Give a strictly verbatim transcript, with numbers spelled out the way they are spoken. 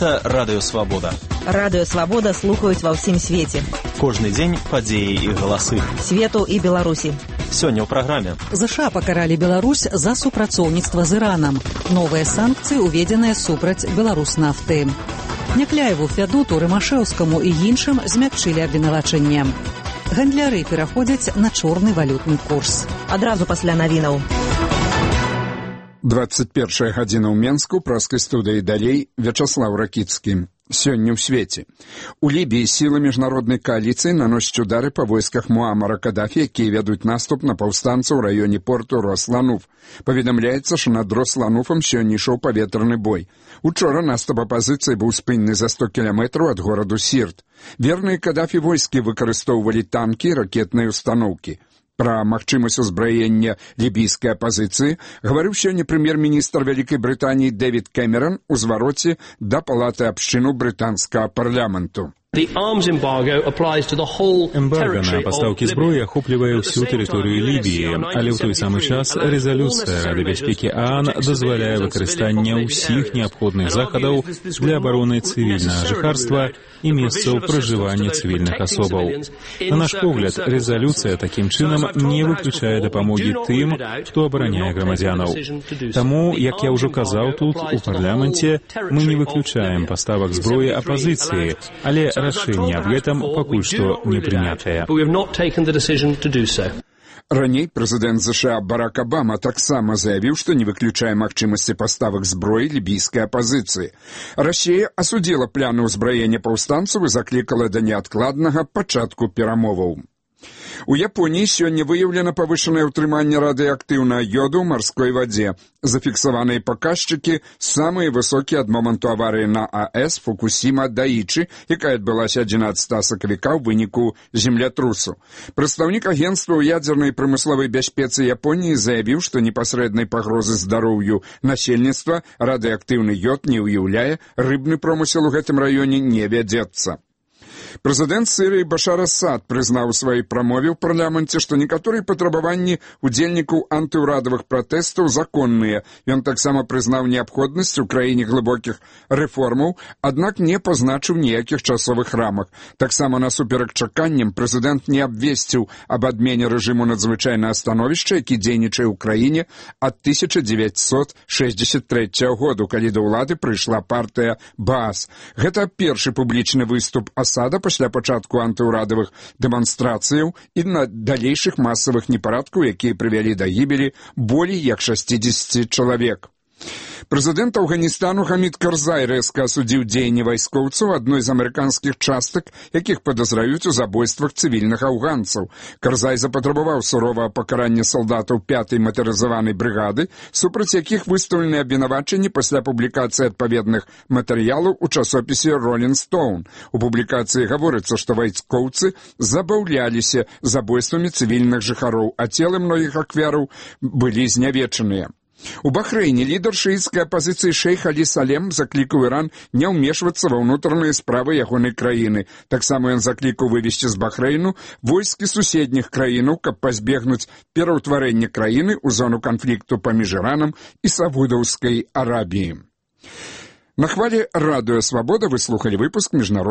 Гэта Радыё Свабода. Радыё Свабода слухаюць ва ўсім свеце. Кожны дзень падзеі і галасы. Свету і Беларусі. Сёння ў праграме. ЗША пакаралі Беларусь за супрацоўніцтва з Іранам. Новыя санкцыі уведзеныя супраць Беларуснафты. Някляеву, Фядуту, Рымашэўскаму і іншым змякчылі абвінавачэнне. Гандляры пераходзяць на чорны валютны курс. Адразу пасля навінаў. двадцать первая гадзіна ў Менску, праскай студыі далей, Вячаслаў Ракіцкі. Сёння ў свеце. У Лібіі сілы міжнароднай кааліцыі наносяць удары па войсках Муамара Кадафі, якія вядуць наступ на паўстанцаў у раёне порту Рослануф. Паведамляецца, што над Рослануфам сёння ішоў паветраны бой. Учора наступ апазіцыі быў спынены за сто кіламетраў ад гораду Сірт. Верныя Кадафі войскі выкарыстоўвалі танкі і ракетныя установкі. Пра магчымасць узбраення лібійскай апазіцыі гаварыў сёння прэм'ер-міністр Вялікай Брытаніі Дэвід Кэмерон у звароце да палаты абшчыну брытанскага парламенту. Эмбарго на пастаўкі зброі ахоплівае ўсю тэрыторыю Лібіі, але ў той самы час рэзалюцыя Рады бяспекі ААН дазваляе выкарыстанне ўсіх неабходных захадаў для абароны цывільнага жыхарства і месцаў пражывання цывільных асобаў. На наш погляд, рэзалюцыя такім чынам не выключае дапамогі тым, хто абараняе грамадзянаў. Таму, як я ўжо казаў тут, у парламенце, мы не выключаем паставак зброі апазіцыі, але рашэнне аб гэтым пакуль што не прынятае. Раней прэзідэнт ЗША Барак Абама таксама заявіў, што не выключае магчымасці паставак зброі лібійскай апазіцыі. Расія асудзіла пляны ўзбраення паўстанцаў і заклікала да неадкладнага пачатку перамоваў. У Японіі сёння выяўлена павышанае ўтрыманне радыеактыўнага йоду ў марской вадзе. Зафіксаваныя паказчыкі самыя высокія ад моманту аварыі на АЭС Фукусіма-Даічы, якая адбылася адзінаццатага сакавіка ў выніку землятрусу. Прадстаўнік агенцтва ў ядзернай прамысловай бяспецы Японіі заявіў, што непасрэднай пагрозы здароўю насельніцтва радыеактыўны йод не ўяўляе, рыбны промысел у гэтым раёне не вядзецца. Прэзідэнт Сірыі Башар Асад прызнаў у сваёй прамове ў парламенце, што некаторыя патрабаванні удзельнікаў антыўрадавых пратэстаў законныя. Ён таксама прызнаў неабходнасць у краіне глыбокіх рэформаў, аднак не пазначыў ніякіх часовых рамак. Таксама насуперак чаканням прэзідэнт не абвесціў аб адмене рэжыму надзвычайнага становішча, які дзейнічае ў краіне ад тысяча дзевяцьсот шэсцьдзесят трэцяга году, калі да ўлады прыйшла партыя Баас. Гэта першы публічны выступ Асада пасля пачатку антыўрадавых дэманстрацыяў і на далейшых масавых непарадкаў, якія прывялі да гібелі болей як шасцідзесяці чалавек. Прэзідэнт Афганістану Хамід Карзай рэзка асудзіў дзеянні вайскоўцаў адной з амерыканскіх частак, якіх падазраюць у забойствах цывільных афганцаў. Карзай запатрабаваў суровага пакарання салдатаў пятай матарызаванай брыгады, супраць якіх выстаўлены абвінавачанні пасля публікацыі адпаведных матэрыялаў у часопісе «Ролінг Стоун». У публікацыі гаворыцца, што вайскоўцы забаўляліся забойствамі цывільных жыхароў, а целы многіх ахвяраў былі знявечаныя. У Бахрэйне лідар шыіцкай апазіцыі шэйх Алі Салем заклікаў Іран не ўмешвацца ва ўнутраныя справы ягонай краіны. Таксама ён заклікаў вывесці з Бахрэйну войскі суседніх краінаў, каб пазбегнуць пераўтварэння краіны ў зону канфлікту паміж Іранам і Саудаўскай Арабіяй. На хвалі Радыё Свабода вы слухалі выпуск міжнароднага